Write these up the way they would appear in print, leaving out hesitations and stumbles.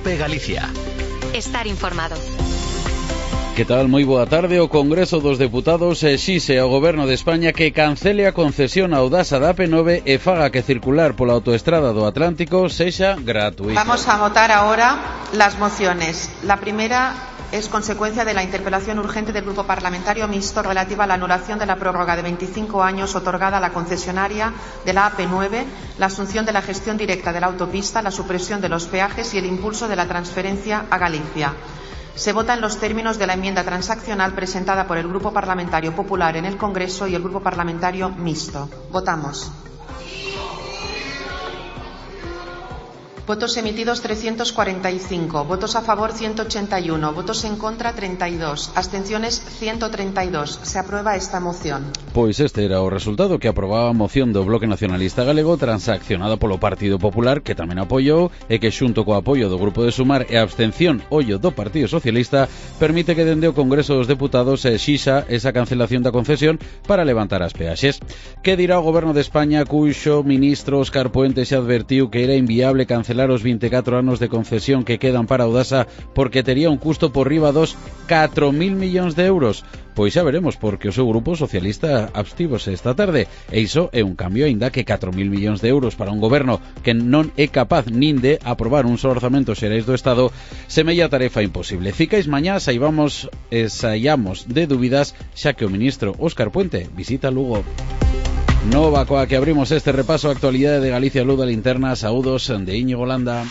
COPE Galicia. Estar informado. Que tal? Moi boa tarde. O Congreso dos Deputados exixe ao Goberno de España que cancele a concesión ao Audasa da AP9 e faga que circular pola autoestrada do Atlántico sexa gratuito. Vamos a votar ahora las mociones. La primera es consecuencia de la interpelación urgente del Grupo Parlamentario Mixto relativa a la anulación de la prórroga de 25 años otorgada a la concesionaria de la AP9, la asunción de la gestión directa de la autopista, la supresión de los peajes y el impulso de la transferencia a Galicia. Se vota en los términos de la enmienda transaccional presentada por el Grupo Parlamentario Popular en el Congreso y el Grupo Parlamentario Mixto. Votamos. Votos emitidos 345, votos a favor 181, votos en contra 32, abstenciones 132. Se aprueba esta moción. Pois este era o resultado que aprobaba a moción do Bloque Nacionalista Galego transaccionada polo Partido Popular, que tamén apoiou, e que xunto co apoio do Grupo de Sumar e a abstención ollo do Partido Socialista permite que dende o Congreso dos Deputados se exixa esa cancelación da concesión para levantar as peaxes. Que dirá o Goberno de España, cuxo ministro Óscar Puente se advertiu que era inviable cancelar os 24 anos de concesión que quedan para Audasa porque tería un custo por riba dos 4.000 millóns de euros? Pois xa veremos, porque o seu grupo socialista abstívose esta tarde, e iso é un cambio, aínda que 4.000 millóns de euros para un goberno que non é capaz nin de aprobar un só orzamento xerais do Estado, semella tarefa imposible. Ficais mañá, saiamos de dúbidas, xa que o ministro Óscar Puente visita Lugo. Nova coa que abrimos este repaso a actualidade de Galicia Luz da Linterna. Saúdos de Íñigo Landa.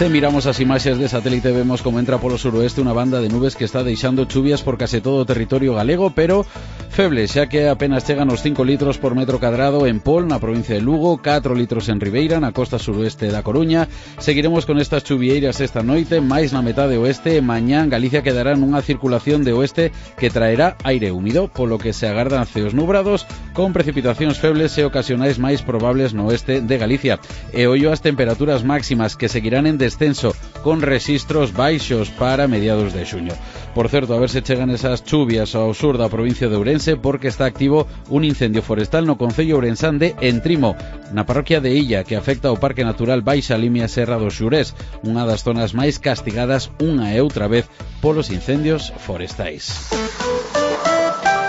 Se miramos as imaxes de satélite vemos como entra polo suroeste unha banda de nubes que está deixando chuvias por case todo o territorio galego, pero feble, xa que apenas chegan os 5 litros por metro cadrado en Pol, na provincia de Lugo, 4 litros en Ribeira, na costa suroeste da Coruña. Seguiremos con estas chuvieiras esta noite, máis na metade oeste, e mañá Galicia quedará nunha circulación de oeste que traerá aire húmido, polo que se agardan ceos nubrados, con precipitacións febles e ocasionais máis probables no oeste de Galicia. E ollo as temperaturas máximas, que seguirán en descenso, con rexistros baixos para mediados de xuño. Por certo, a ver se chegan esas chuvias ao sur da provincia de Ourense, porque está activo un incendio forestal no concello ourensán de Entrimo, na parroquia de Illa, que afecta ao Parque Natural Baixa Limia Serra do Xurés, unha das zonas máis castigadas unha e outra vez polos incendios forestais.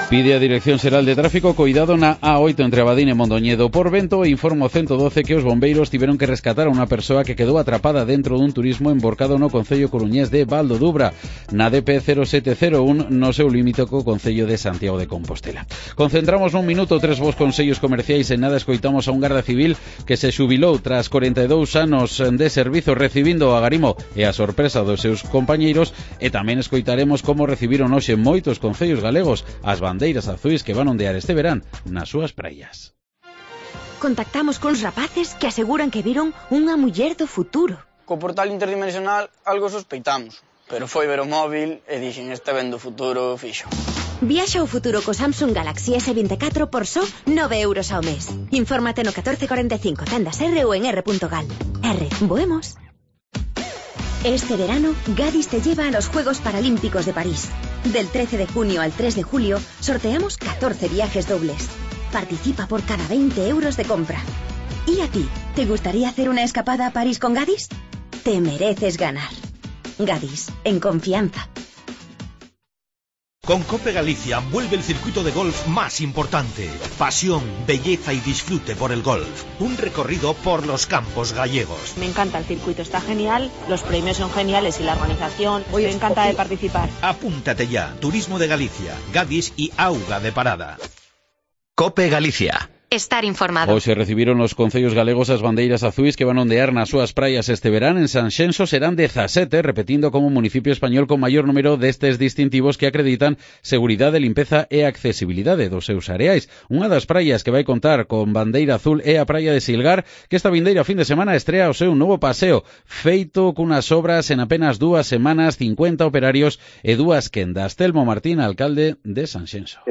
Pide a Dirección Xeral de Tráfico coidado na A8 entre Abadín e Mondoñedo por vento, e informa o 112 que os bombeiros tiveron que rescatar a unha persoa que quedou atrapada dentro dun turismo emborcado no concello coruñés de Val do Dubra, na DP 0701, no seu límite co concello de Santiago de Compostela. Concentramos nun minuto 3 vos consellos comerciais. En nada escoitamos a un garda civil que se xubilou tras 42 anos de servizo recibindo o agarimo e a sorpresa dos seus compañeiros, e tamén escoitaremos como recibiron hoxe moitos concellos galegos as bandeiras azuis que van ondear este verán nas súas praias. Contactamos cuns rapaces que aseguran que viron unha muller do futuro. Co portal interdimensional algo sospeitamos, pero foi ver o móvil e dixen este ben do futuro fixo. Viaxa ao futuro co Samsung Galaxy S24 por só 9 euros ao mes. Infórmate no 1445, tendas R ou en r.gal. R, voemos. Este verano, Gadis te lleva a los Juegos Paralímpicos de París. Del 13 de junio al 3 de julio, sorteamos 14 viajes dobles. Participa por cada 20 euros de compra. ¿Y a ti? ¿Te gustaría hacer una escapada a París con Gadis? Te mereces ganar. Gadis, en confianza. Con COPE Galicia vuelve el circuito de golf más importante. Pasión, belleza y disfrute por el golf. Un recorrido por los campos gallegos. Me encanta el circuito, está genial, los premios son geniales y la organización, me encanta de participar. Apúntate ya, Turismo de Galicia, Gadis y Auga de Parada. COPE Galicia. Estar informado. Hoxe recibiron os concellos galegos as bandeiras azuis que van ondear nas súas praias este verán. En Sanxenxo serán 17, repetindo como municipio español con maior número destes distintivos que acreditan seguridade, limpeza e accesibilidade dos seus areais. Unha das praias que vai contar con bandeira azul é a praia de Silgar, que esta vindeira fin de semana estrea o seu novo paseo, feito cunhas obras en apenas 2 semanas, 50 operarios e 2 quendas. Telmo Martín, alcalde de Sanxenxo.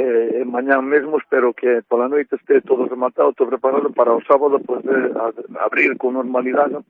Mañán mesmo espero que pola noite este todo rematado, todo preparado para o sábado poder abrir con normalidade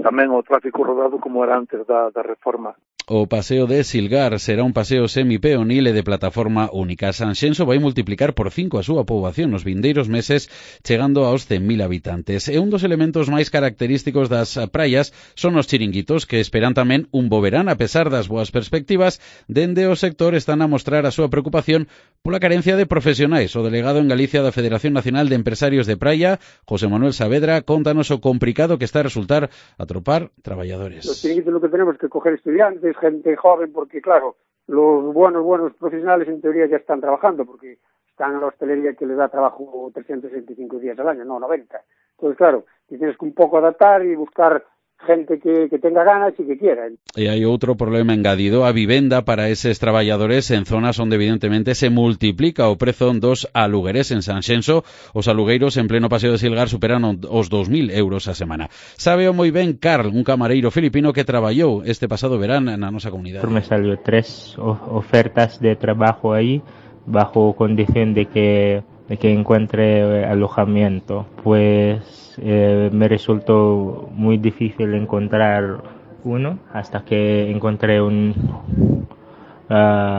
tamén o tráfico rodado como era antes da reforma. O paseo de Silgar será un paseo semipeonil e de plataforma única. Sanxenxo vai multiplicar por 5 a súa poboación nos vindeiros meses, chegando aos 100.000 habitantes. E un dos elementos máis característicos das praias son os chiringuitos, que esperan tamén un bo verán. A pesar das boas perspectivas, dende o sector están a mostrar a súa preocupación pola carencia de profesionais. O delegado en Galicia da Federación Nacional de Empresarios de Praia, José Manuel Saavedra, contanos o complicado que está a resultar atopar traballadores. Los chiringuitos lo que tenemos que coger estudiantes, gente joven, porque claro, los buenos profesionales en teoría ya están trabajando, porque están en la hostelería que les da trabajo 365 días al año, no 90. Entonces, claro, tienes que un pouco adaptar e buscar gente que tenga ganas e que quiera. E hai outro problema engadido, a vivenda para eses traballadores en zonas onde evidentemente se multiplica o prezo dos alugueres. En Sanxenxo, os alugueiros en pleno paseo de Silgar superan os 2.000 euros a semana. Sabeo moi ben Carl, un camareiro filipino que traballou este pasado verán na nosa comunidade. Me salió 3 ofertas de trabajo ahí, bajo condición de que encuentre alojamiento. Pues me resultó muy difícil encontrar uno hasta que encontré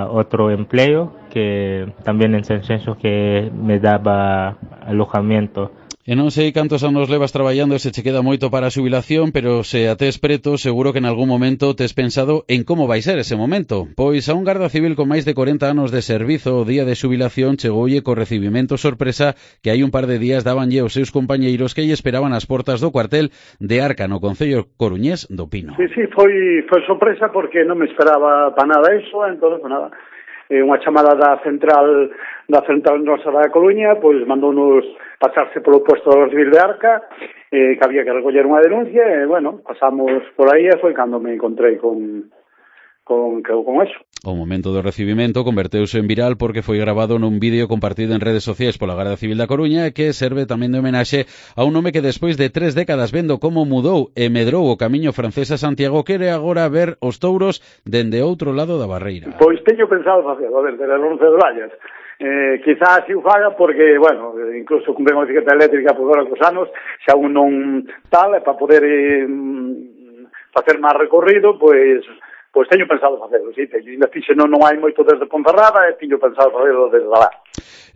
otro empleo que también en Sanxenxo que me daba alojamiento. E non sei cantos anos levas traballando e se che queda moito para a xubilación, pero se a tes preto, seguro que en algún momento tes pensado en como vai ser ese momento. Pois a un garda civil con máis de 40 anos de servizo o día de xubilación chegoulle co recibimento sorpresa que hai un par de días dabanlle aos seus compañeiros que lle esperaban as portas do cuartel de Arca no concello coruñés do Pino. Sí, foi sorpresa porque non me esperaba para nada eso, entón, pues nada, unha chamada da central nosa da Coruña, pois mandounos pasarse polo puesto do civil de Arca, que había que recoller unha denuncia, e, bueno, pasamos por aí e foi cando me encontrei con eso. O momento do recibimento converteuse en viral porque foi grabado nun vídeo compartido en redes sociais pola Garda Civil da Coruña que serve tamén de homenaxe a un home que despois de 3 décadas vendo como mudou e medrou o camiño francés a Santiago quere agora ver os touros dende outro lado da barreira. Pois teño pensado facelo, desde as 11 de Vallas. Quizás así o faga porque, bueno, incluso con a bicicleta eléctrica por agora cos anos, xa un non tal, para poder facer máis recorrido, pois teño pensado facelo, sí, ainda fixe non hai moito desde Ponferrada e teño pensado facelo desde lá.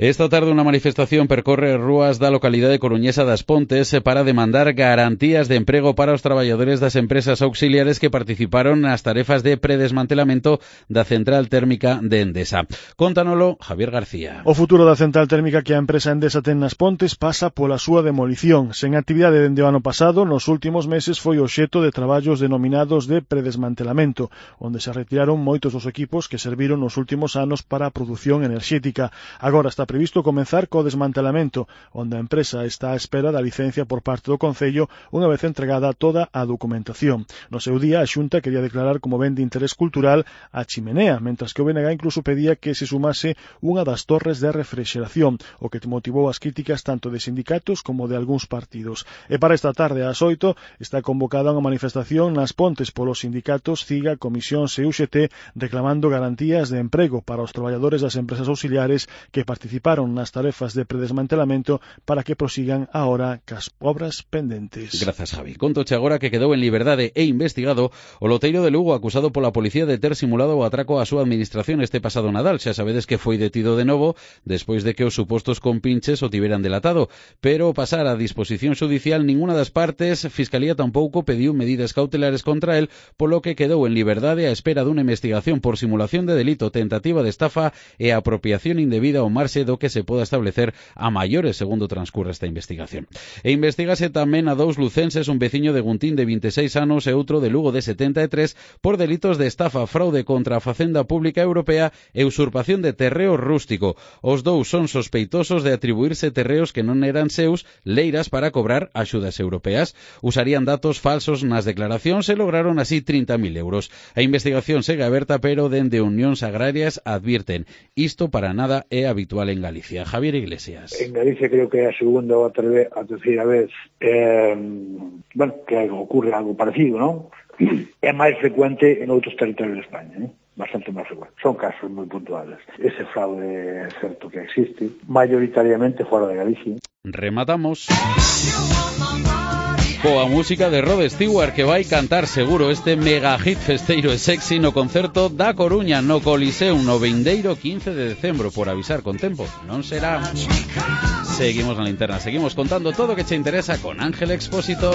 Esta tarde unha manifestación percorre rúas da localidade coruñesa das Pontes para demandar garantías de emprego para os traballadores das empresas auxiliares que participaron nas tarefas de predesmantelamento da central térmica de Endesa. Contanolo Javier García. O futuro da central térmica que a empresa Endesa ten nas Pontes pasa pola súa demolición. Sen actividade dende o ano pasado, nos últimos meses foi obxecto de traballos denominados de predesmantelamento, onde se retiraron moitos dos equipos que serviron nos últimos anos para a produción enerxética. Agora está previsto comenzar co desmantelamento, onde a empresa está á espera da licencia por parte do Concello unha vez entregada toda a documentación. No seu día, a Xunta quería declarar como ben de interés cultural a chimenea, mentras que o BNG incluso pedía que se sumase unha das torres de refrixeración, o que motivou as críticas tanto de sindicatos como de algúns partidos. E para esta tarde ás 8 está convocada unha manifestación nas Pontes polos sindicatos CIGA, Comisións e UGT reclamando garantías de emprego para os traballadores das empresas auxiliares que participaron nas tarefas de predesmantelamento para que prosigan agora cas obras pendentes. Grazas, Javi. Contoche agora que quedou en liberdade e investigado o loteiro de Lugo acusado pola policía de ter simulado o atraco á súa administración este pasado Nadal. Xa sabedes que foi detido de novo despois de que os supostos compinches o tiveran delatado, pero pasar a disposición judicial ninguna das partes, Fiscalía tampouco pediu medidas cautelares contra el, polo que quedou en liberdade a espera dunha investigación por simulación de delito, tentativa de estafa e apropiación indebida ao marxe do que se poda establecer a maiores segundo transcurre esta investigación. E investigase tamén a 2 lucenses, un veciño de Guntín de 26 anos e outro de Lugo de 73 por delitos de estafa, fraude contra a Facenda Pública Europea e usurpación de terreo rústico. Os 2 son sospeitosos de atribuirse terreos que non eran seus, leiras para cobrar axudas europeas. Usarían datos falsos nas declaracións e lograron así 30.000 euros. A investigación segue aberta, pero dende Unións Agrarias advirten isto para nada é habitual en Galicia. Javier Iglesias. En Galicia creo que é a segunda ou a terceira vez que ocurre algo parecido, non? É máis frecuente en outros territorios de España, bastante máis frecuente. Son casos moi puntuales. Ese fraude é certo que existe, maioritariamente fora de Galicia. Rematamos. Coa música de Rod Stewart, que vai cantar seguro este mega hit festeiro e sexy no concerto da Coruña no Coliseum no vindeiro 15 de decembro. Por avisar con tempo, non será. Seguimos na linterna, seguimos contando todo o que che interesa con Ángel Expósito.